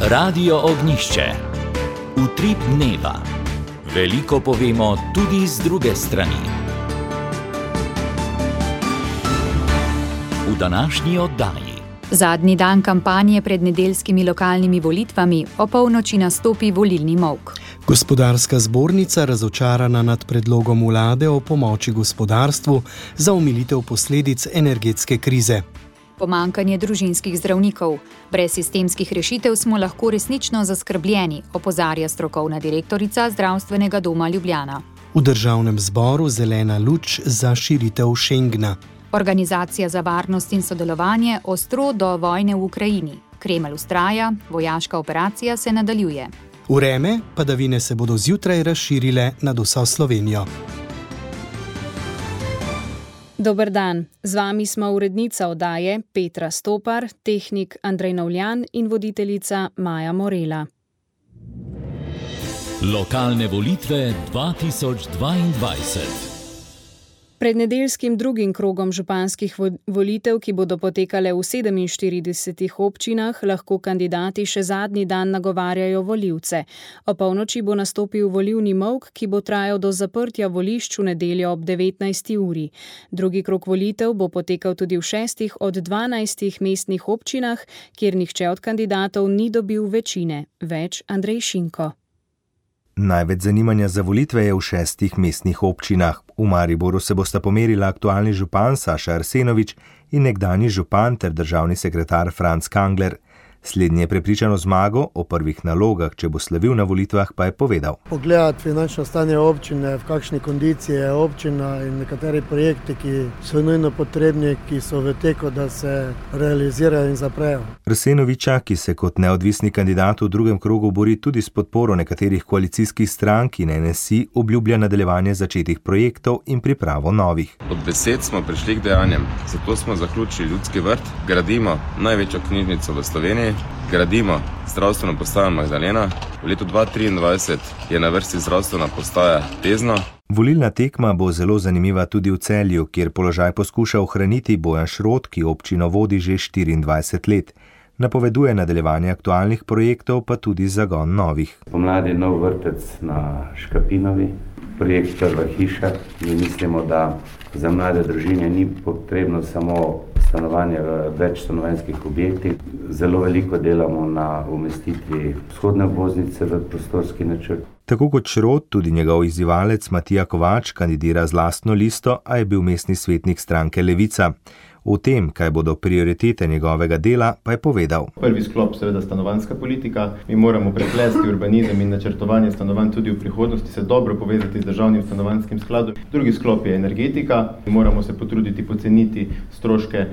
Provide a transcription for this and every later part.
Radio Ognjišče. Utrip dneva. Veliko povemo tudi z druge strani. V današnji oddaji. Zadnji dan kampanje pred nedeljskimi lokalnimi volitvami, opolnoči nastopi volilni molk. Gospodarska zbornica razočarana nad predlogom vlade o pomoči gospodarstvu za omilitev posledic energetske krize. Pomanjkanje družinskih zdravnikov. Brez sistemskih rešitev smo lahko resnično zaskrbljeni, opozarja strokovna direktorica Zdravstvenega doma Ljubljana. V državnem zboru zelena luč za širitev Schengna. Organizacija za varnost in sodelovanje ostro do vojne v Ukrajini. Kremelj vztraja, vojaška operacija se nadaljuje. Vreme, padavine se bodo zjutraj razširile nad vso Slovenijo. Dober dan, z vami smo urednica oddaje Petra Stopar, tehnik Andrej Novljan in voditeljica Maja Morela. Lokalne volitve 2022. Pred nedeljskim drugim krogom županskih volitev, ki bodo potekale v 47 občinah, lahko kandidati še zadnji dan nagovarjajo volivce. Opolnoči bo nastopil volilni molk, ki bo trajal do zaprtja volišč v nedeljo ob 19. uri. Drugi krog volitev bo potekal tudi v 6 od 12 mestnih občinah, kjer nihče od kandidatov ni dobil večine. Več Andrej Šinko. Največ zanimanja za volitve je v 6 mestnih občinah. V Mariboru se bosta pomerila aktualni župan Saša Arsenovič in nekdanji župan ter državni sekretar Franc Kangler. Slednji je prepričan o zmago, o prvih nalogah, če bo slavil na volitvah, pa je povedal. Pogledati finančno stanje občine, v kakšni kondiciji je občina in nekateri projekti, ki so nujno potrebni, ki so v teku, da se realizirajo in zaprejo. Arsenoviča, ki se kot neodvisni kandidat v drugem krogu bori tudi s podporo nekaterih koalicijskih strank in NSI, obljublja nadaljevanje začetih projektov in pripravo novih. Od besed smo prišli k dejanjem, zato smo zaključili Ljudski vrt, gradimo največjo knjižnico v Sloveniji, gradimo zdravstveno postajo Magdalena. V letu 2023 je na vrsti zdravstvena postaja Tezno. Volilna tekma bo zelo zanimiva tudi v Celju, kjer položaj poskuša ohraniti Bojan Šrot, ki občino vodi že 24 let. Napoveduje nadaljevanje aktualnih projektov, pa tudi zagon novih. Pomladi nov vrtec na Škapinovi, projekt Prva hiša. Mi mislimo, da za mlade družine ni potrebno samo stanovanje v večstanovanjskih objektih. Zelo veliko delamo na umestitvi vzhodne obvoznice v prostorski načrt. Tako kot Šrot, tudi njegov izzivalec Matija Kovač kandidira z lastno listo, a je bil mestni svetnik stranke Levica. O tem, kaj bodo prioritete njegovega dela, pa je povedal. Prvi sklop seveda stanovanjska politika. Mi moramo preplesti urbanizem in načrtovanje stanovanj tudi v prihodnosti, se dobro povezati z državnim stanovanjskim skladom. Drugi sklop je energetika. Moramo se potruditi poceniti stroške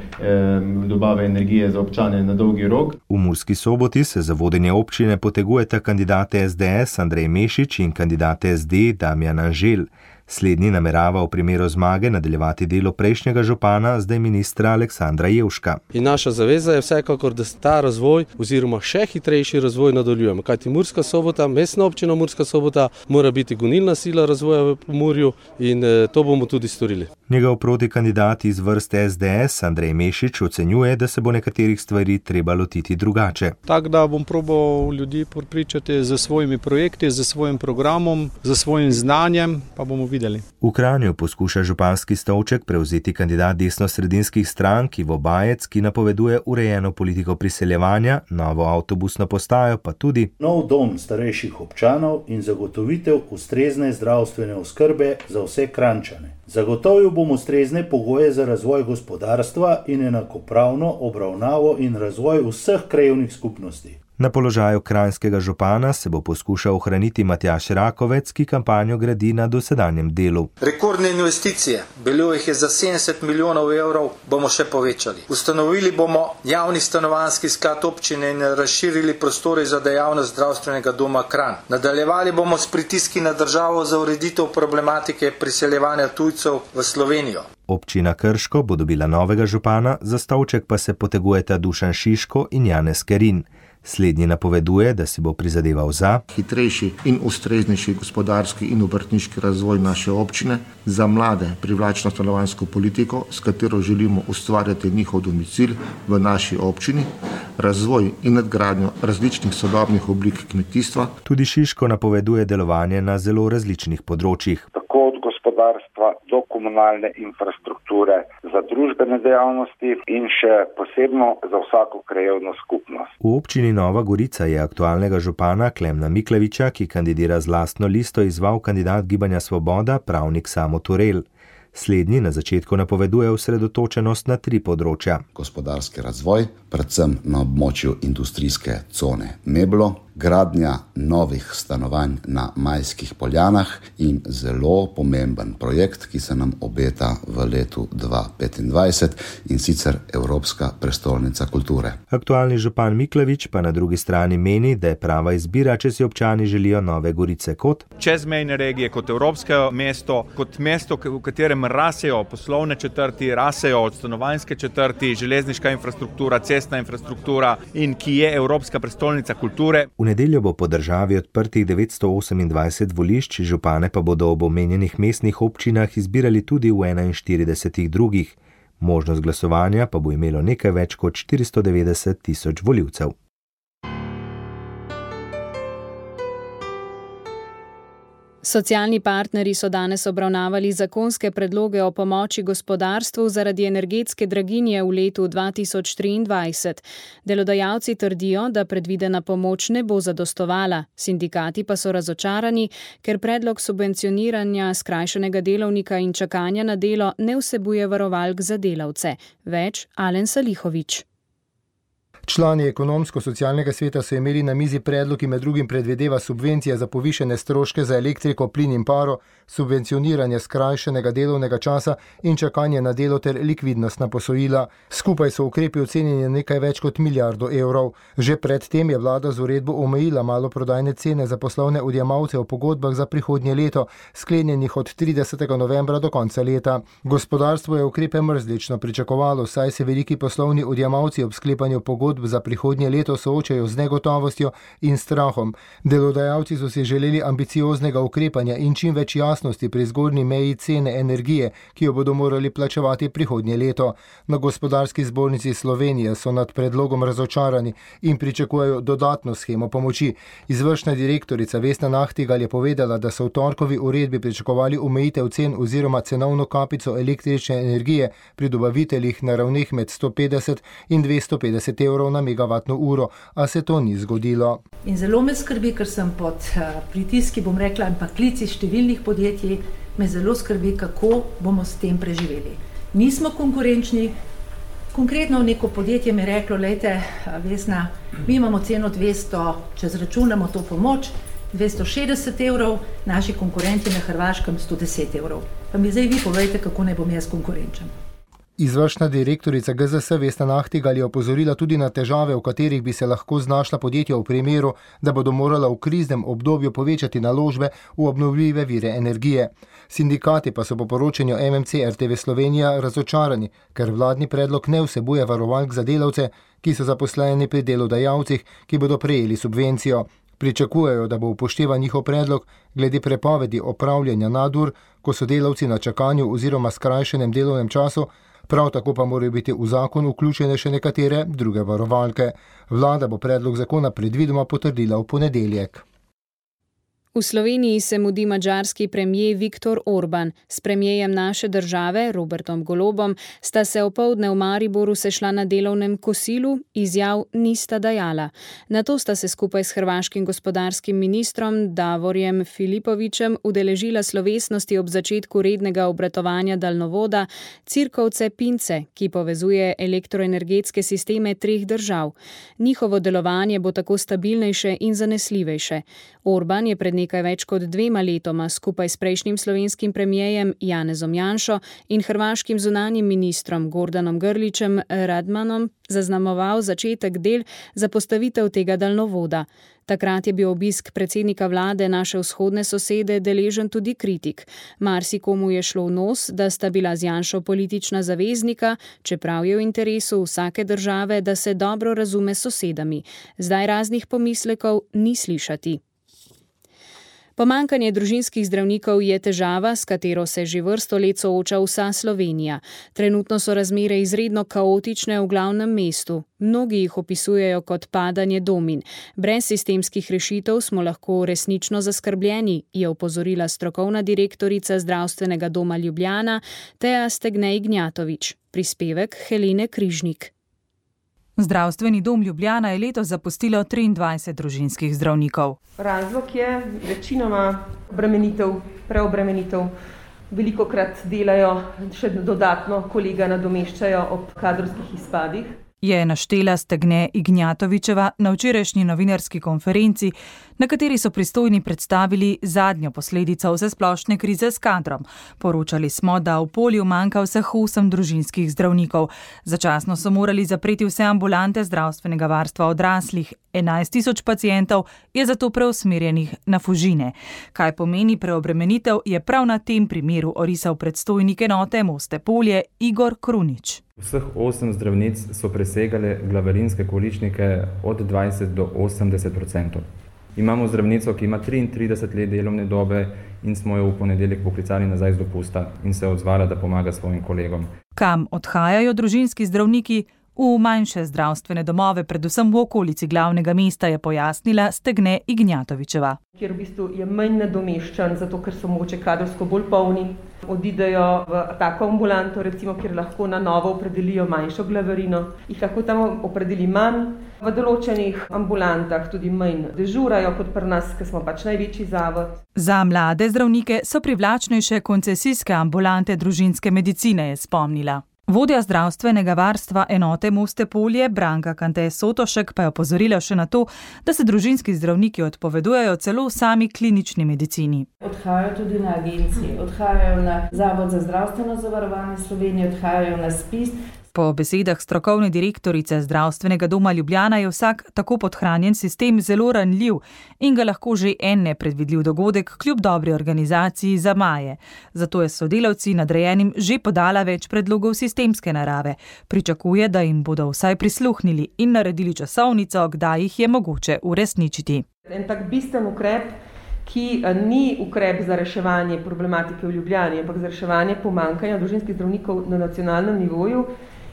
dobave energije za občane na dolgi rok. V Murski Soboti se za vodenje občine potegujeta kandidate SDS Andrej Mešič in kandidate SD Damjan Anžel. Slednji namerava v primeru zmage nadaljevati delo prejšnjega župana, zdaj ministra Aleksandra Jevška. In naša zaveza je vsekakor, da ta razvoj oziroma še hitrejši razvoj nadaljujemo. Kajti Murska Sobota, mestna občina Murska Sobota, mora biti gonilna sila razvoja v Pomurju in to bomo tudi storili. Njegov protikandidat iz vrst SDS Andrej Mešič ocenjuje, da se bo nekaterih stvari treba lotiti drugače. Tako da bom probal ljudi prepričati z svojimi projekti, z svojim programom, z svojim znanjem, pa bomo videli. V Kranju poskuša županski stolček prevzeti kandidat desnosredinskih strank Ivo Bajec, ki napoveduje urejeno politiko priseljevanja, novo avtobusno postajo, pa tudi nov dom starejših občanov in zagotovitev ustrezne zdravstvene oskrbe za vse Kranjčane. Zagotovil bom ustrezne pogoje za razvoj gospodarstva in enakopravno obravnavo in razvoj vseh krajevnih skupnosti. Na položaju kranjskega župana se bo poskušal ohraniti Matjaž Rakovec, ki kampanjo gradi na dosedanjem delu. Rekordne investicije, bilo jih je za 70 milijonov evrov, bomo še povečali. Ustanovili bomo javni stanovanjski sklad občine in razširili prostore za dejavnost zdravstvenega doma Kranj. Nadaljevali bomo s pritiski na državo za ureditev problematike priseljevanja tujcev v Slovenijo. Občina Krško bo dobila novega župana, za stolček pa se potegujeta Dušan Šiško in Janez Kerin. Slednji napoveduje, da si bo prizadeval za hitrejši in ustreznejši gospodarski in obrtniški razvoj naše občine, za mlade privlačno stanovanjsko politiko, s katero želimo ustvarjati njihov domicil v naši občini, razvoj in nadgradnjo različnih sodobnih oblik kmetijstva. Tudi Šiško napoveduje delovanje na zelo različnih področjih. Tako od gospodarstva do komunalne infrastrukture, za družbene dejavnosti in še posebno za vsako krajevno skupnost. V občini Nova Gorica je aktualnega župana Klemna Miklaviča, ki kandidira z lastno listo, izval kandidat Gibanja Svoboda, pravnik Samo Turel. Slednji na začetku napoveduje osredotočenost na 3 področja. Gospodarski razvoj, predvsem na območju industrijske cone Meblo, gradnja novih stanovanj na Majskih Poljanah in zelo pomemben projekt, ki se nam obeta v letu 2025 in sicer Evropska prestolnica kulture. Aktualni župan Miklavič pa na drugi strani meni, da je prava izbira, če si občani želijo Nove Gorice kot čezmejne regije, kot evropsko mesto, v katerem rasejo poslovne četrti, rasejo stanovanjske četrti, železniška infrastruktura, cestna infrastruktura in ki je Evropska prestolnica kulture. V nedeljo bo po državi odprtih 928 volišč, župane pa bodo ob omenjenih mestnih občinah izbirali tudi v 41 drugih. Možnost glasovanja pa bo imelo nekaj več kot 490 tisoč volivcev. Socialni partnerji so danes obravnavali zakonske predloge o pomoči gospodarstvu zaradi energetske draginje v letu 2023. Delodajalci trdijo, da predvidena pomoč ne bo zadostovala. Sindikati pa so razočarani, ker predlog subvencioniranja skrajšanega delovnika in čakanja na delo ne vsebuje varovalk za delavce. Več Alen Salihović. Člani ekonomsko-socialnega sveta so imeli na mizi predlog, ki med drugim predvideva subvencije za povišene stroške za elektriko, plin in paro, subvencioniranje skrajšanega delovnega časa in čakanje na delo ter likvidnostna posojila. Skupaj so ukrepi ocenjeni nekaj več kot milijardo evrov. Že pred tem je vlada z uredbo omejila maloprodajne cene za poslovne odjemalce v pogodbah za prihodnje leto, sklenjenih od 30. novembra do konca leta. Gospodarstvo je ukrepe mrzlično pričakovalo, saj se veliki poslovni odjemalci ob sklepanju pogodb za prihodnje leto soočajo z negotovostjo in strahom. Delodajalci so si želeli ambicioznega ukrepanja in čim več jasnosti pri zgornji meji cene energije, ki jo bodo morali plačevati prihodnje leto. Na Gospodarski zbornici Slovenije so nad predlogom razočarani in pričakujejo dodatno shemo pomoči. Izvršna direktorica Vesna Nahtigal je povedala, da so v torkovi uredbi pričakovali omejitev cen oziroma cenovno kapico električne energije pri dobaviteljih na ravneh med 150 in 250 evrov na megavatno uro, a se to ni zgodilo. In zelo me skrbi, ker sem pod pritiski, bom rekla, in pa klici številnih podjetij, me zelo skrbi, kako bomo s tem preživeli. Nismo konkurenčni. Konkretno neko podjetje mi je reklo, lejte, Vesna, mi imamo ceno 200, če zračunamo to pomoč, 260 evrov, naši konkurenti na Hrvaškem 110 evrov. Pa mi zdaj vi povejte, kako ne bom jaz konkurenčen. Izvršna direktorica GZS Vesna Nahtigal je opozorila tudi na težave, v katerih bi se lahko znašla podjetja v primeru, da bodo morala v kriznem obdobju povečati naložbe v obnovljive vire energije. Sindikati pa so po poročanju MMC RTV Slovenija razočarani, ker vladni predlog ne vsebuje varovalk za delavce, ki so zaposleni pri delodajalcih, ki bodo prejeli subvencijo. Pričakujejo, da bo upoštevan njihov predlog glede prepovedi opravljanja nadur, ko so delavci na čakanju oziroma skrajšanem delovnem času. Prav tako pa morajo biti v zakon vključene še nekatere druge varovalke. Vlada bo predlog zakona predvidoma potrdila v ponedeljek. V Sloveniji se mudi madžarski premier Viktor Orban. S premierjem naše države, Robertom Golobom, sta se opoldne v Mariboru sešla na delovnem kosilu, izjav nista dajala. Nato sta se skupaj s hrvaškim gospodarskim ministrom Davorjem Filipovićem udeležila slovesnosti ob začetku rednega obratovanja daljnovoda Cirkovce-Pince, ki povezuje elektroenergetske sisteme 3 držav. Njihovo delovanje bo tako stabilnejše in zanesljivejše. Orban je pred nekaj več kot 2 letoma skupaj s prejšnjim slovenskim premierjem Janezom Janšo in hrvaškim zunanjim ministrom Gordanom Grlićem Radmanom zaznamoval začetek del za postavitev tega daljnovoda. Takrat je bil obisk predsednika vlade naše vzhodne sosede deležen tudi kritik. Marsikomu je šlo v nos, da sta bila z Janšo politična zaveznika, čeprav je v interesu vsake države, da se dobro razume s sosedami. Zdaj raznih pomislekov ni slišati. Pomanjkanje družinskih zdravnikov je težava, s katero se že vrsto let sooča vsa Slovenija. Trenutno so razmere izredno kaotične v glavnem mestu. Mnogi jih opisujejo kot padanje domin. Brez sistemskih rešitev smo lahko resnično zaskrbljeni, je opozorila strokovna direktorica Zdravstvenega doma Ljubljana Teja Stegne Ignjatovič. Prispevek Helene Križnik. Zdravstveni dom Ljubljana je letos zapustilo 23 družinskih zdravnikov. Razlog je večinoma preobremenitev. Velikokrat delajo še dodatno, kolega nadomeščajo ob kadrovskih izpadih. Je naštela Stegne Ignjatovičeva na včerajšnji novinarski konferenci, na kateri so pristojni predstavili zadnjo posledico vsesplošne krize s kadrom. Poročali smo, da v polju manjka vseh 8 družinskih zdravnikov. Začasno so morali zapreti vse ambulante zdravstvenega varstva odraslih. 11.000 pacientov je zato preusmerjenih na Fužine. Kaj pomeni preobremenitev, je prav na tem primeru orisal predstojnik enote Moste Polje Igor Krunič. Vseh 8 zdravnic so presegale glavarinske količnike od 20 do 80%. Imamo zdravnico, ki ima 33 let delovne dobe in smo jo v ponedeljek poklicali nazaj z dopusta in se odzvala, da pomaga svojim kolegom. Kam odhajajo družinski zdravniki? V manjše zdravstvene domove, predvsem v okolici glavnega mesta, je pojasnila Stegne Ignjatovičeva. Kjer v bistvu je manj nadomeščan, zato ker so mogoče kadrovsko bolj polni. Odidejo v tako ambulanto, recimo, kjer lahko na novo opredelijo manjšo glavarino. Jih lahko tam opredeli manj. V določenih ambulantah tudi manj dežurajo kot pri nas, ker smo pač največji zavod. Za mlade zdravnike so privlačnejše koncesijske ambulante družinske medicine, je spomnila. Vodja zdravstvenega varstva enote Moste Polje Branka Kante Sotošek pa je opozorila še na to, da se družinski zdravniki odpovedujejo celo sami klinični medicini. Odhajajo tudi na agencije, odhajajo na Zavod za zdravstveno zavarovanje Slovenije, odhajajo na ZPIZ. Po besedah strokovne direktorice Zdravstvenega doma Ljubljana je vsak tako podhranjen sistem zelo ranljiv in ga lahko že en nepredvidljiv dogodek kljub dobri organizaciji zamaje. Zato je sodelavci nadrejenim že podala več predlogov sistemske narave. Pričakuje, da jim bodo vsaj prisluhnili in naredili časovnico, kdaj jih je mogoče uresničiti. En tak bistven ukrep, ki ni ukrep za reševanje problematike v Ljubljani, ampak za reševanje pomanjkanja družinskih zdravnikov na nacionalnem nivoju,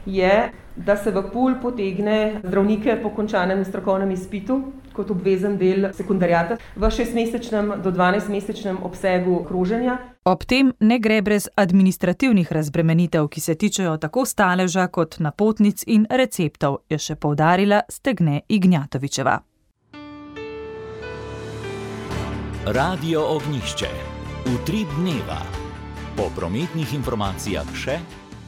je, da se v pool potegne zdravnike po končanem strokovnem izpitu kot obvezen del sekundarjata v 6-mesečnem do 12-mesečnem obsegu kroženja. Ob tem ne gre brez administrativnih razbremenitev, ki se tičejo tako staleža kot napotnic in receptov, je še poudarila Stegne Ignjatovičeva. Radio Ognjišče. Utrip dneva. Po prometnih informacijah še.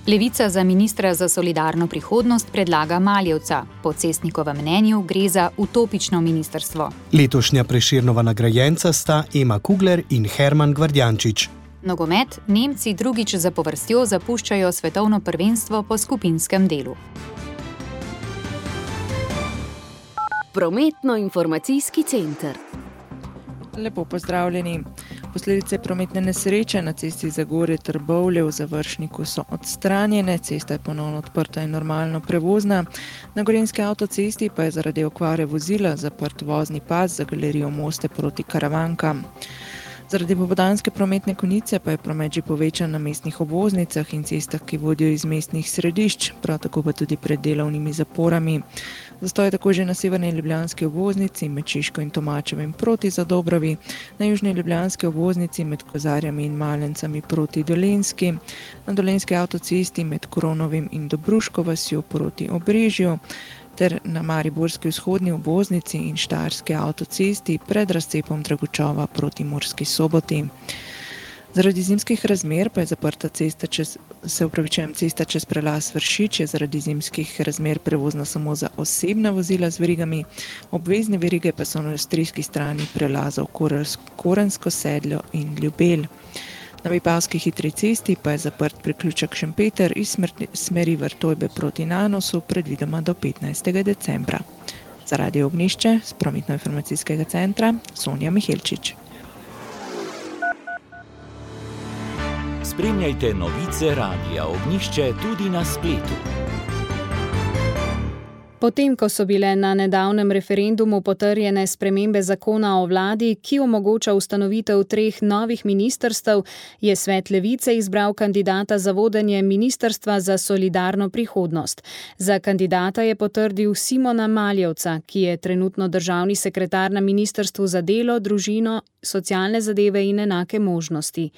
Levica za ministra za solidarno prihodnost predlaga Maljevca. Po Cestnikovem mnenju gre za utopično ministrstvo. Letošnja Prešernova nagrajenca sta Ema Kugler in Herman Gvardjančič. Nogomet, Nemci drugič zapovrstjo zapuščajo svetovno prvenstvo po skupinskem delu. Prometno-informacijski center. Lepo pozdravljeni. Posledice prometne nesreče na cesti Zagorje-Trbovlje v Završniku so odstranjene, cesta je ponovno odprta in normalno prevozna. Na Gorenjski avtocesti pa je zaradi okvare vozila zaprt vozni pas za galerijo Moste proti Karavankam. Zaradi popoldanske prometne konice pa je promet že povečan na mestnih obvoznicah in cestah, ki vodijo iz mestnih središč, prav tako pa tudi pred delovnimi zaporami. Zastoj je tako že na severni ljubljanski obvoznici med Šiško in Tomačevim proti Zadobrovi, na južni ljubljanski obvoznici med Kozarjami in Malencami proti Dolenjski, na dolenjski avtocesti med Kronovim in Dobruško vasjo proti Obrežju, ter na mariborski vzhodni obvoznici in štajerski avtocesti pred razcepom Dragočova proti Murski Soboti. Zaradi zimskih razmer pa je zaprta cesta čez prelaz Vršič, je zaradi zimskih razmer prevozna samo za osebna vozila z verigami, obvezne verige pa so na avstrijski strani prelazov Korensko Sedljo in Ljubelj. Na Vipavski hitri cesti pa je zaprt priključek Šempeter iz smeri Vrtojbe proti Nanosu predvidoma do 15. decembra. Za Radio Ognjišče z prometno-informacijskega centra Sonja Mihelčič. Spremljajte novice Radia Ognjišče tudi na spletu. Potem, ko so bile na nedavnem referendumu potrjene spremembe zakona o vladi, ki omogoča ustanovitev 3 novih ministrstev, je svet Levice izbral kandidata za vodenje Ministrstva za solidarno prihodnost. Za kandidata je potrdil Simona Maljevca, ki je trenutno državni sekretar na Ministrstvu za delo, družino, socialne zadeve in enake možnosti.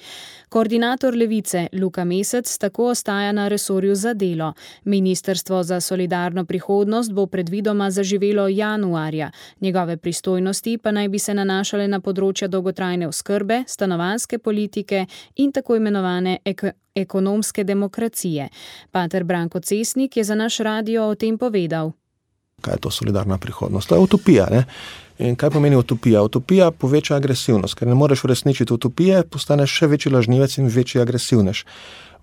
Koordinator Levice Luka Mesec tako ostaja na resorju za delo. Ministrstvo za solidarno prihodnost bo predvidoma zaživelo januarja. Njegove pristojnosti pa naj bi se nanašale na področja dolgotrajne oskrbe, stanovanjske politike in tako imenovane ekonomske demokracije. Pater Branko Cesnik je za naš radio o tem povedal. Kaj je to solidarna prihodnost? To je utopija, ne? In kaj pomeni utopija? Utopija poveča agresivnost, ker ne moreš uresničiti utopije, postaneš še večji lažnivec in večji agresivnež.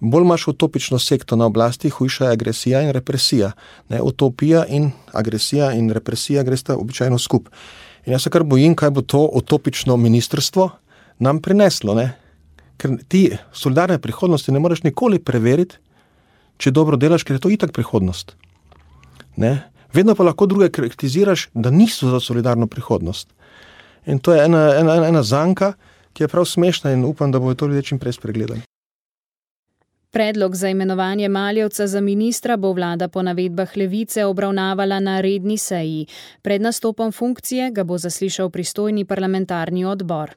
Bolj imaš utopično sekto na oblasti, hujša je agresija in represija. Ne, utopija in agresija in represija gresta običajno skup. In jaz se kar bojim, kaj bo to utopično ministrstvo nam prineslo. Ne? Ker ti solidarne prihodnosti ne moreš nikoli preveriti, če dobro delaš, ker je to itak prihodnost. Ne? Vedno pa lahko druge kritiziraš, da niso za solidarno prihodnost. In to je ena zanka, ki je prav smešna in upam, da bodo to ljudje čim prej spregledali. Predlog za imenovanje Maljevca za ministra bo vlada po navedbah Levice obravnavala na redni seji. Pred nastopom funkcije ga bo zaslišal pristojni parlamentarni odbor.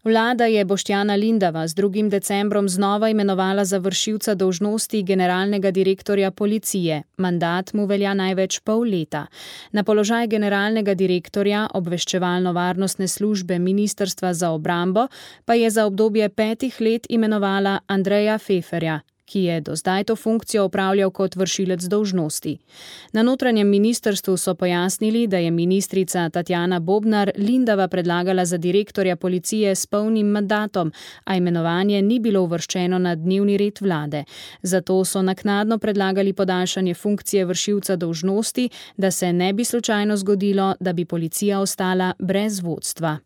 Vlada je Boštjana Lindava z 2. decembrom znova imenovala za vršilca dolžnosti generalnega direktorja policije. Mandat mu velja največ pol leta. Na položaj generalnega direktorja obveščevalno-varnostne službe Ministrstva za obrambo pa je za obdobje 5 let imenovala Andreja Feferja, ki je do zdaj to funkcijo opravljal kot vršilec dolžnosti. Na notranjem ministrstvu so pojasnili, da je ministrica Tatjana Bobnar Lindava predlagala za direktorja policije s polnim mandatom, a imenovanje ni bilo uvrščeno na dnevni red vlade. Zato so naknadno predlagali podaljšanje funkcije vršilca dolžnosti, da se ne bi slučajno zgodilo, da bi policija ostala brez vodstva.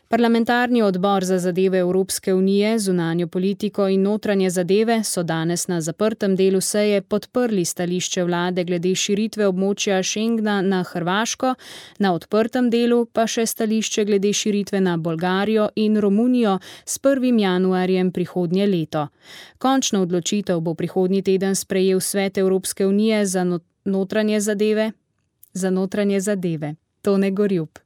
Parlamentarni odbor za zadeve Evropske unije, zunanjo politiko in notranje zadeve so danes na zaprtem delu seje podprli stališče vlade glede širitve območja Schengna na Hrvaško, na odprtem delu pa še stališče glede širitve na Bolgarijo in Romunijo s 1. januarjem prihodnje leto. Končno odločitev bo prihodnji teden sprejel Svet Evropske unije za notranje zadeve. Tone Gorjup.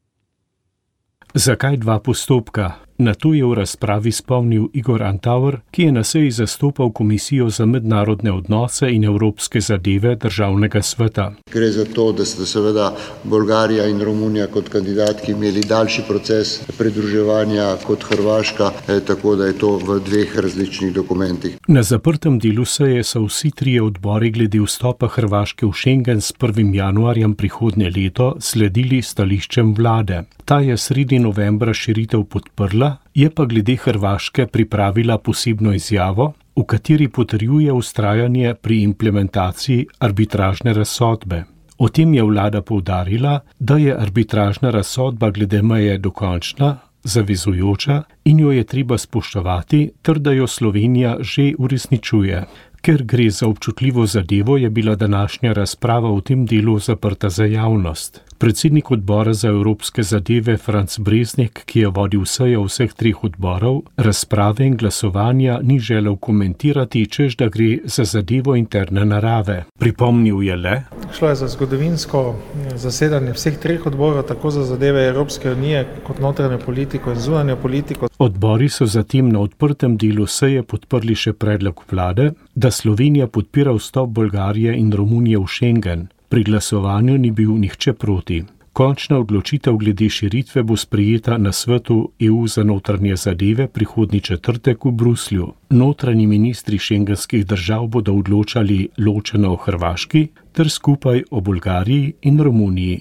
Zakaj 2 postopka? Na to je v razpravi spomnil Igor Antaur, ki je na seji zastopal Komisijo za mednarodne odnose in evropske zadeve Državnega sveta. Gre za to, da sta seveda Bolgarija in Romunija kot kandidatki imeli daljši proces pridruževanja kot Hrvaška, tako da je to v 2 različnih dokumentih. Na zaprtem delu seje so vsi 3 odbori glede vstopa Hrvaške v Schengen s 1. januarjem prihodnje leto sledili stališčem vlade. Ta je sredi novembra širitev podprla, je pa glede Hrvaške pripravila posebno izjavo, v kateri potrjuje vztrajanje pri implementaciji arbitražne razsodbe. O tem je vlada poudarila, da je arbitražna razsodba glede meje dokončna, zavezujoča in jo je treba spoštovati, ter da jo Slovenija že uresničuje. Ker gre za občutljivo zadevo, je bila današnja razprava v tem delu zaprta za javnost. Predsednik odbora za evropske zadeve Franc Breznik, ki je vodil sejo vseh 3 odborov, razprave in glasovanja ni želel komentirati, češ da gre za zadevo interne narave. Pripomnil je le: Šlo je za zgodovinsko zasedanje vseh 3 odborov, tako za zadeve Evropske unije kot notranjo politiko in zunanjo politiko. Odbori so zatem na odprtem delu seje podprli še predlog vlade, da Slovenija podpira vstop Bolgarije in Romunije v Schengen. Pri glasovanju ni bil nihče proti. Končna odločitev glede širitve bo sprejeta na svetu EU za notranje zadeve prihodnji četrtek v Bruslju. Notranji ministri šengenskih držav bodo odločali ločeno o Hrvaški ter skupaj o Bolgariji in Romuniji.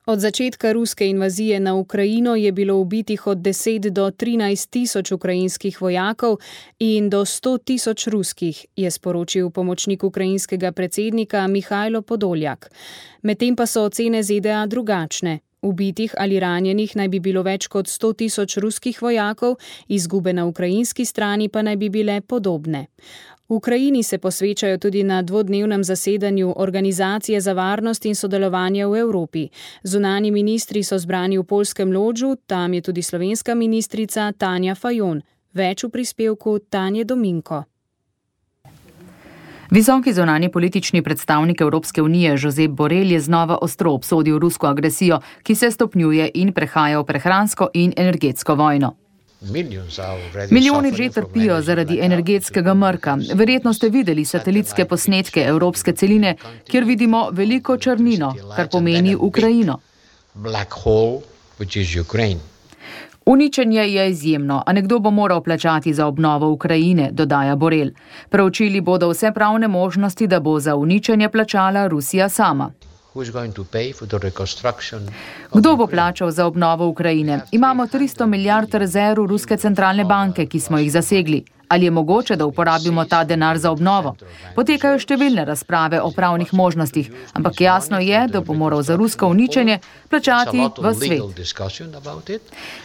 Od začetka ruske invazije na Ukrajino je bilo ubitih od 10 do 13 tisoč ukrajinskih vojakov in do 100 tisoč ruskih, je sporočil pomočnik ukrajinskega predsednika Mihajlo Podoljak. Medtem pa so ocene ZDA drugačne. Ubitih ali ranjenih naj bi bilo več kot 100 tisoč ruskih vojakov, izgube na ukrajinski strani pa naj bi bile podobne. V Ukrajini se posvečajo tudi na dvodnevnem zasedanju Organizacije za varnost in sodelovanje v Evropi. Zunanji ministri so zbrani v poljskem Lodžu, tam je tudi slovenska ministrica Tanja Fajon. Več v prispevku Tanje Dominko. Visoki zunanji politični predstavnik Evropske unije Josep Borrell je znova ostro obsodil rusko agresijo, ki se stopnjuje in prehaja v prehransko in energetsko vojno. Milijoni že trpijo zaradi energetskega mrka. Verjetno ste videli satelitske posnetke evropske celine, kjer vidimo veliko črnino, kar pomeni Ukrajino. Uničenje je izjemno, a nekdo bo moral plačati za obnovo Ukrajine, dodaja Borrell. Preučili bodo vse pravne možnosti, da bo za uničenje plačala Rusija sama. Kdo bo plačal za obnovo Ukrajine? Imamo 300 milijard rezerv Ruske centralne banke, ki smo jih zasegli. Ali je mogoče, da uporabimo ta denar za obnovo? Potekajo številne razprave o pravnih možnostih, ampak jasno je, da bo moral za rusko uničenje plačati v svet.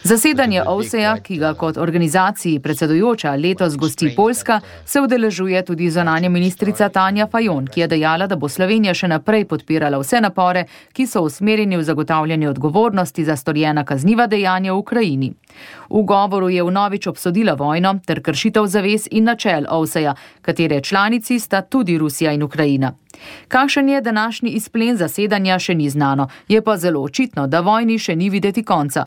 Zasedanje OVSE-ja, ki ga kot organizaciji predsedujoča letos gosti Poljska, se udeležuje tudi zunanja ministrica Tanja Fajon, ki je dejala, da bo Slovenija še naprej podpirala vse napore, ki so usmerjeni v zagotavljanje odgovornosti za storjena kazniva dejanja v Ukrajini. V govoru je vnovič obsodila vojno ter kršitev zavez in načel OVSE-ja, katere članici sta tudi Rusija in Ukrajina. Kakšen je današnji izplen zasedanja, še ni znano, je pa zelo očitno, da vojni še ni videti konca.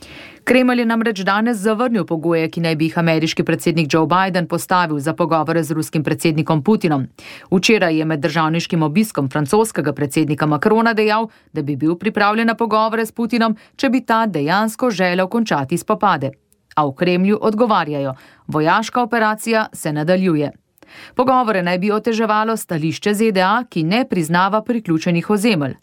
Kremelj je namreč danes zavrnil pogoje, ki naj bi jih ameriški predsednik Joe Biden postavil za pogovore z ruskim predsednikom Putinom. Včeraj je med državniškim obiskom francoskega predsednika Macrona dejal, da bi bil pripravljen na pogovore s Putinom, če bi ta dejansko želel končati spopade. A v Kremlju odgovarjajo, vojaška operacija se nadaljuje. Pogovore naj bi oteževalo stališče ZDA, ki ne priznava priključenih ozemelj.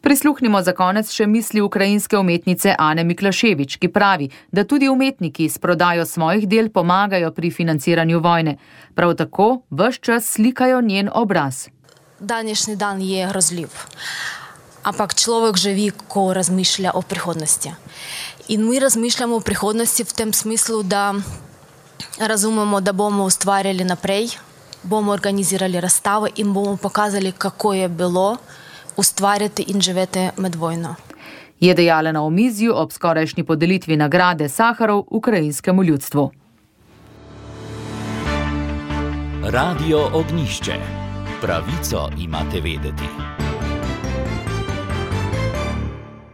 Prisluhnimo za konec še misli ukrajinske umetnice Ane Miklaševič, ki pravi, da tudi umetniki s prodajo svojih del pomagajo pri financiranju vojne. Prav tako ves čas slikajo njen obraz. Današnji dan je grozljiv, ampak človek živi, ko razmišlja o prihodnosti. In mi razmišljamo o prihodnosti v tem smislu, da razumemo, da bomo ustvarjali naprej, bomo organizirali razstavo in bomo pokazali, kako je bilo ustvarjati in živeti med vojno. Je dejala na omizju ob skorajšnji podelitvi nagrade Saharov ukrajinskemu ljudstvu. Radio Ognjišče. Pravico imate vedeti.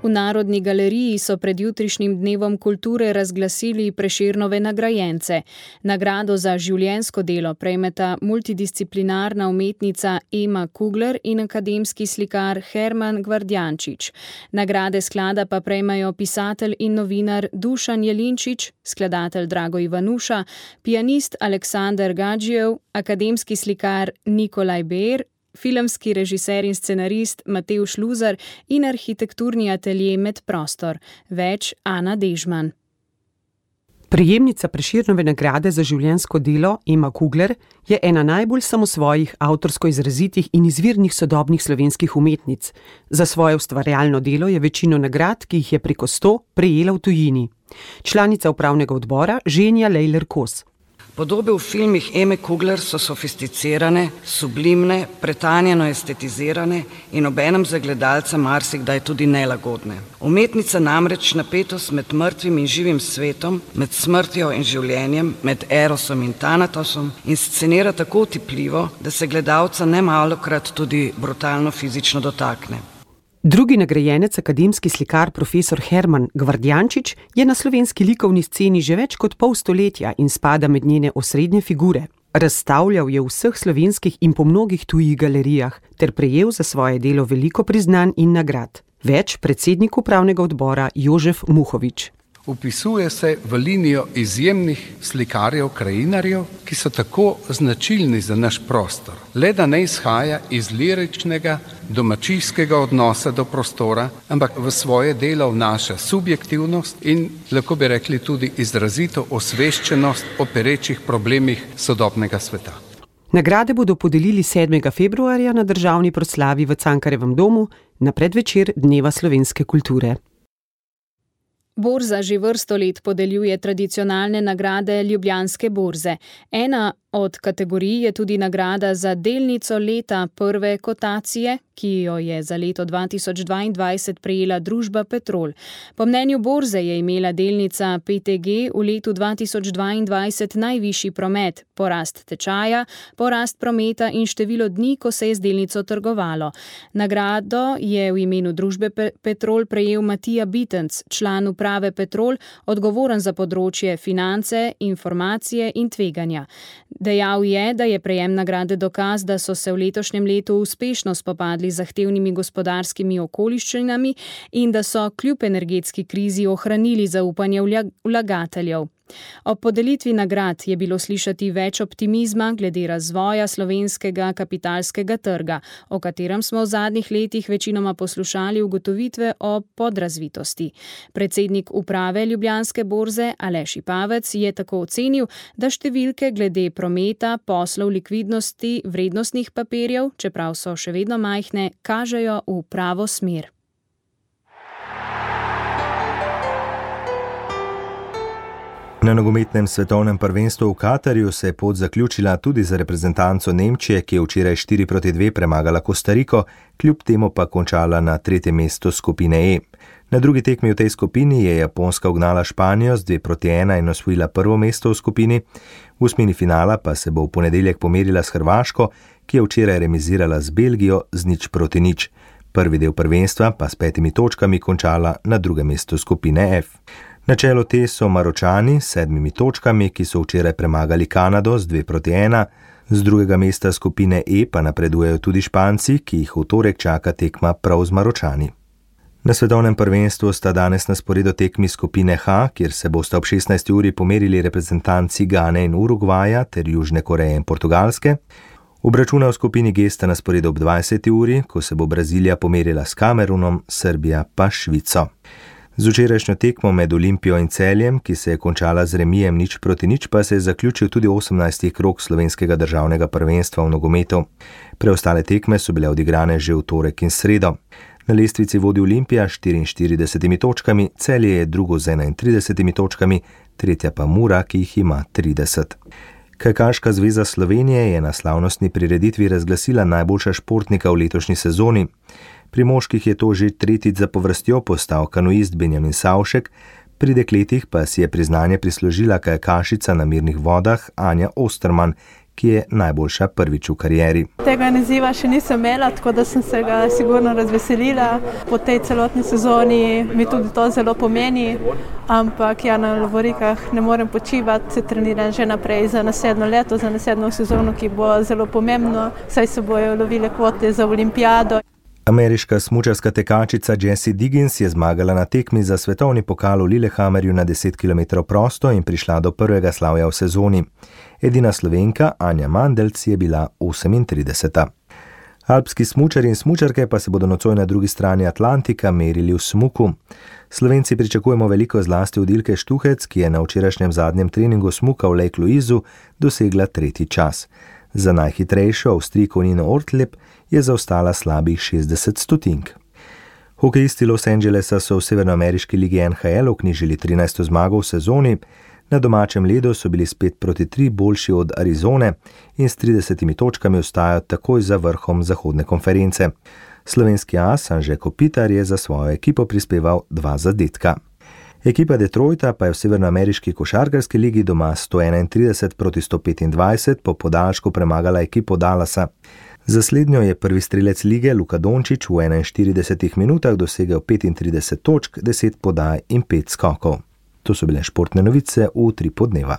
V Narodni galeriji so pred jutrišnjim dnevom kulture razglasili Prešernove nagrajence. Nagrado za življenjsko delo prejmeta multidisciplinarna umetnica Ema Kugler in akademski slikar Herman Gvardjančič. Nagrade sklada pa prejmejo pisatelj in novinar Dušan Jelinčič, skladatelj Drago Ivanuša, pianist Aleksandar Gadžijev, akademski slikar Nikolaj Beer, filmski režiser in scenarist Matevž Luzar in arhitekturni atelje Medprostor. Več Ana Dežman. Prejemnica Prešernove nagrade za življenjsko delo Ema Kugler je ena najbolj samosvojih, avtorsko izrazitih in izvirnih sodobnih slovenskih umetnic. Za svoje ustvarjalno delo je večino nagrad, ki jih je preko 100, prejela v tujini. Članica upravnega odbora Ženja Lejler-Kos. Podobe v filmih Eme Kugler so sofisticirane, sublimne, pretanjeno estetizirane in obenem za gledalca marsikdaj tudi nelagodne. Umetnica namreč napetost med mrtvim in živim svetom, med smrtjo in življenjem, med erosom in tanatosom inscenira tako otipljivo, da se gledalca nemalokrat tudi brutalno fizično dotakne. Drugi nagrajenec, akademski slikar profesor Herman Gvardjančič, je na slovenski likovni sceni že več kot pol stoletja in spada med njene osrednje figure. Razstavljal je v vseh slovenskih in po mnogih tujih galerijah ter prejel za svoje delo veliko priznanj in nagrad. Več predsednik upravnega odbora Jožef Muhovič. Vpisuje se v linijo izjemnih slikarjev, krajinarjev, ki so tako značilni za naš prostor. Le da ne izhaja iz liričnega, domačijskega odnosa do prostora, ampak v svoje delo vnaša subjektivnost in, lahko bi rekli, tudi izrazito osveščenost o perečih problemih sodobnega sveta. Nagrade bodo podelili 7. februarja na državni proslavi v Cankarjevem domu na predvečer Dneva slovenske kulture. Borza že vrsto let podeljuje tradicionalne nagrade Ljubljanske borze. Ena Od kategorij je tudi nagrada za delnico leta prve kotacije, ki jo je za leto 2022 prejela družba Petrol. Po mnenju borze je imela delnica PTG v letu 2022 najvišji promet, porast tečaja, porast prometa in število dni, ko se je z delnico trgovalo. Nagrado je v imenu družbe Petrol prejel Matija Bitenc, član uprave Petrol, odgovoren za področje finance, informacije in tveganja. Dejal je, da je prejem nagrade dokaz, da so se v letošnjem letu uspešno spopadli z zahtevnimi gospodarskimi okoliščinami in da so kljub energetski krizi ohranili zaupanje vlagateljev. Ob podelitvi nagrad je bilo slišati več optimizma glede razvoja slovenskega kapitalskega trga, o katerem smo v zadnjih letih večinoma poslušali ugotovitve o podrazvitosti. Predsednik uprave Ljubljanske borze Aleš Ipavec je tako ocenil, da številke glede prometa, poslov, likvidnosti, vrednostnih papirjev, čeprav so še vedno majhne, kažejo v pravo smer. Na nogometnem svetovnem prvenstvu v Katarju se je pot zaključila tudi za reprezentanco Nemčije, ki je včeraj 4-2 premagala Kostariko, kljub temu pa končala na 3. mestu skupine E. Na drugi tekmi v tej skupini je Japonska ugnala Španijo z 2-1 in osvojila prvo mesto v skupini. V osmini finala pa se bo v ponedeljek pomerila s Hrvaško, ki je včeraj remizirala z Belgijo z 0-0. Prvi del prvenstva pa s 5 točkami končala na drugem mestu skupine F. Na čelu te so Maročani s 7 točkami, ki so včeraj premagali Kanado z 2-1, z drugega mesta skupine E pa napredujejo tudi Španci, ki jih v torek čaka tekma prav z Maročani. Na svetovnem prvenstvu sta danes na sporedu tekmi skupine H, kjer se bosta ob 16. uri pomerili reprezentanci Gane in Urugvaja ter Južne Koreje in Portugalske. Obračuna v skupini G sta na sporedu ob 20. uri, ko se bo Brazilija pomerila s Kamerunom, Srbija pa Švico. Z včerajšnjo tekmo med Olimpijo in Celjem, ki se je končala z remijem 0-0, pa se je zaključil tudi 18. krog slovenskega državnega prvenstva v nogometu. Preostale tekme so bile odigrane že v torek in sredo. Na lestvici vodi Olimpija s 44 točkami, Celje je drugo z 31 točkami, tretja pa Mura, ki jih ima 30. Kajakaška zveza Slovenije je na slavnostni prireditvi razglasila najboljša športnika v letošnji sezoni. Pri moških je to že tretjič zapovrstjo postal kanuist Benjamin Savšek, pri dekletih pa si je priznanje prislužila kajakašica na mirnih vodah Anja Osterman, ki je najboljša prvič v karieri. Tega naziva še nisem imela, tako da sem se ga sigurno razveselila. Po tej celotni sezoni mi tudi to zelo pomeni, ampak ja, na lovorikah ne morem počivati, se treniram že naprej za naslednjo leto, za naslednjo sezono, ki bo zelo pomembno, saj se bojo lovile kvote za olimpijado. Ameriška smučarska tekačica Jessie Diggins je zmagala na tekmi za svetovni pokal v Lillehammerju na 10 km prosto in prišla do prvega slavja v sezoni. Edina Slovenka, Anja Mandelc, je bila 38. Alpski smučarji in smučarke pa se bodo nocoj na drugi strani Atlantika merili v smuku. Slovenci pričakujemo veliko zlasti od Ilke Štuhec, ki je na včerajšnjem zadnjem treningu smuka v Lake Louisu dosegla 3. čas. Za najhitrejšo Avstrijko Nino Ortleb je zaostala slabih 60 stotink. Hokejisti Los Angelesa so v severnoameriški ligi NHL vknjižili 13. zmago v sezoni, na domačem ledu so bili spet 5-3 boljši od Arizone in s 30 točkami ostajajo takoj za vrhom zahodne konference. Slovenski as Anže Kopitar je za svojo ekipo prispeval 2 zadetka. Ekipa Detroita pa je v severnoameriški košarkarski ligi doma 131-125 po podaljšku premagala ekipo Dallasa. Za slednjo je prvi strelec lige Luka Dončić v 41 minutah dosegel 35 točk, 10 podaj in 5 skokov. To so bile športne novice v Utripu dneva.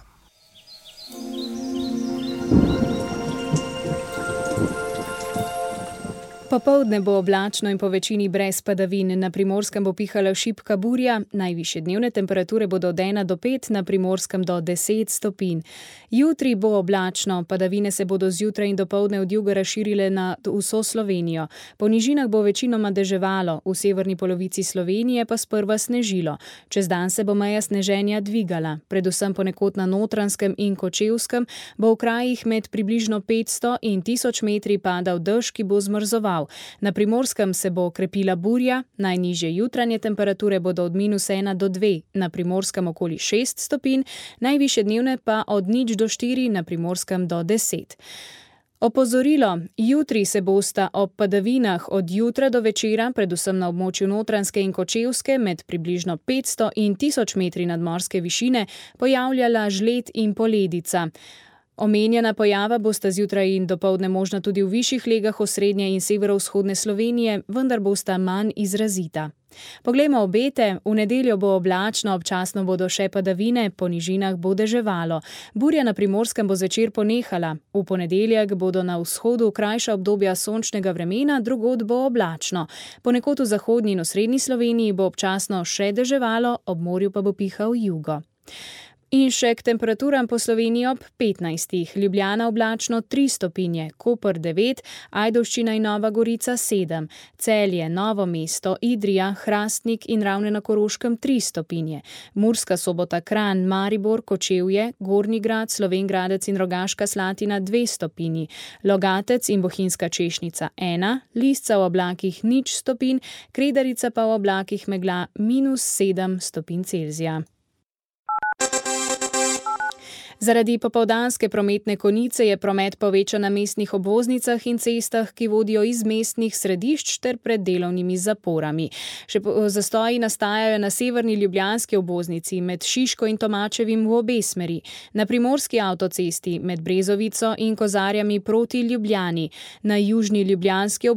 Popoldne bo oblačno in po večini brez padavin. Na Primorskem bo pihala šibka burja, najvišje dnevne temperature bodo od 1 do 5, na Primorskem do 10 stopinj. Jutri bo oblačno, padavine se bodo zjutraj in dopoldne od juga razširile na vso Slovenijo. Po nižinah bo večinoma deževalo, v severni polovici Slovenije pa sprva snežilo. Čez dan se bo meja sneženja dvigala, predvsem ponekod na Notranjskem in Kočevskem bo v krajih med približno 500 in 1000 metri padal dež, ki bo zmrzoval. Na Primorskem se bo okrepila burja, najnižje jutranje temperature bodo od -1 do 2, na Primorskem okoli 6 stopinj, najvišje dnevne pa od 0 do 4, na Primorskem do 10. Opozorilo, jutri se bosta ob padavinah od jutra do večera, predvsem na območju Notranjske in Kočevske, med približno 500 in 1000 metri nadmorske višine, pojavljala žled in poledica. Omenjena pojava bosta zjutraj in dopoldne možna tudi v višjih legah osrednje in severovzhodne Slovenije, vendar bosta manj izrazita. Poglejmo obete, v nedeljo bo oblačno, občasno bodo še padavine, po nižinah bo deževalo. Burja na Primorskem bo zvečer ponehala. V ponedeljek bodo na vzhodu krajša obdobja sončnega vremena, drugod bo oblačno. Ponekod v zahodnji in osrednji Sloveniji bo občasno še deževalo, ob morju pa bo pihal jugo. In še k temperaturam po Sloveniji ob 15. Ljubljana oblačno 3 stopinje, Koper 9, Ajdovščina in Nova Gorica 7, Celje, Novo mesto, Idrija, Hrastnik in Ravne na Koroškem 3 stopinje, Murska Sobota, Kranj, Maribor, Kočevje, Gornji Grad, Slovenj Gradec in Rogaška Slatina 2 stopinji, Logatec in Bohinjska Češnica 1, Lisca v oblakih 0 stopinj, Kredarica pa v oblakih megla -7 stopinj Celzija. Zaradi popoldanske prometne konice je promet povečan na mestnih obvoznicah in cestah, ki vodijo iz mestnih središč ter pred delovnimi zaporami. Še zastoji nastajajo na severni ljubljanski obvoznici med Šiško in Tomačevim v obe smeri, na primorski avtocesti med Brezovico in Kozarjami proti Ljubljani, na južni ljubljanski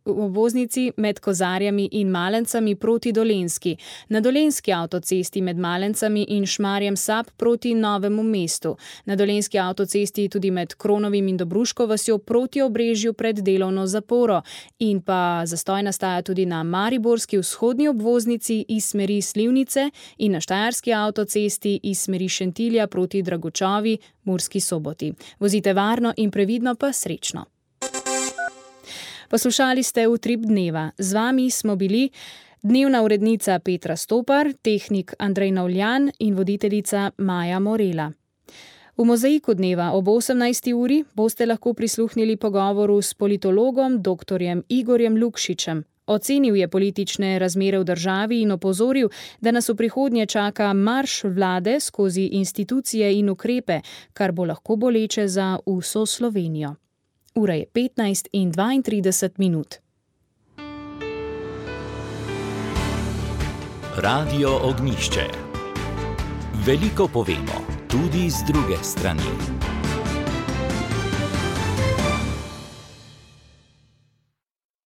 obvoznici med Kozarjami in Malencami proti Dolenjski, na dolenjski avtocesti med Malencami in Šmarjem Sap proti Novemu mestu. Na dolenjski avtocesti tudi med Kronovim in Dobruško vasjo proti Obrežju pred delovno zaporo. In pa zastoj nastaja tudi na mariborski vzhodni obvoznici iz smeri Slivnice in na štajerski avtocesti iz smeri Šentilja proti Dragočovi, Murski Soboti. Vozite varno in previdno pa srečno. Poslušali ste Utrip dneva. Z vami smo bili dnevna urednica Petra Stopar, tehnik Andrej Navljan in voditeljica Maja Morela. V Mozaiku dneva ob 18. uri boste lahko prisluhnili pogovoru s politologom dr. Igorjem Lukšičem. Ocenil je politične razmere v državi in opozoril, da nas v prihodnje čaka marš vlade skozi institucije in ukrepe, kar bo lahko boleče za vso Slovenijo. Ura je 15:32. Radio Ognjišče. Veliko povemo, tudi z druge strani.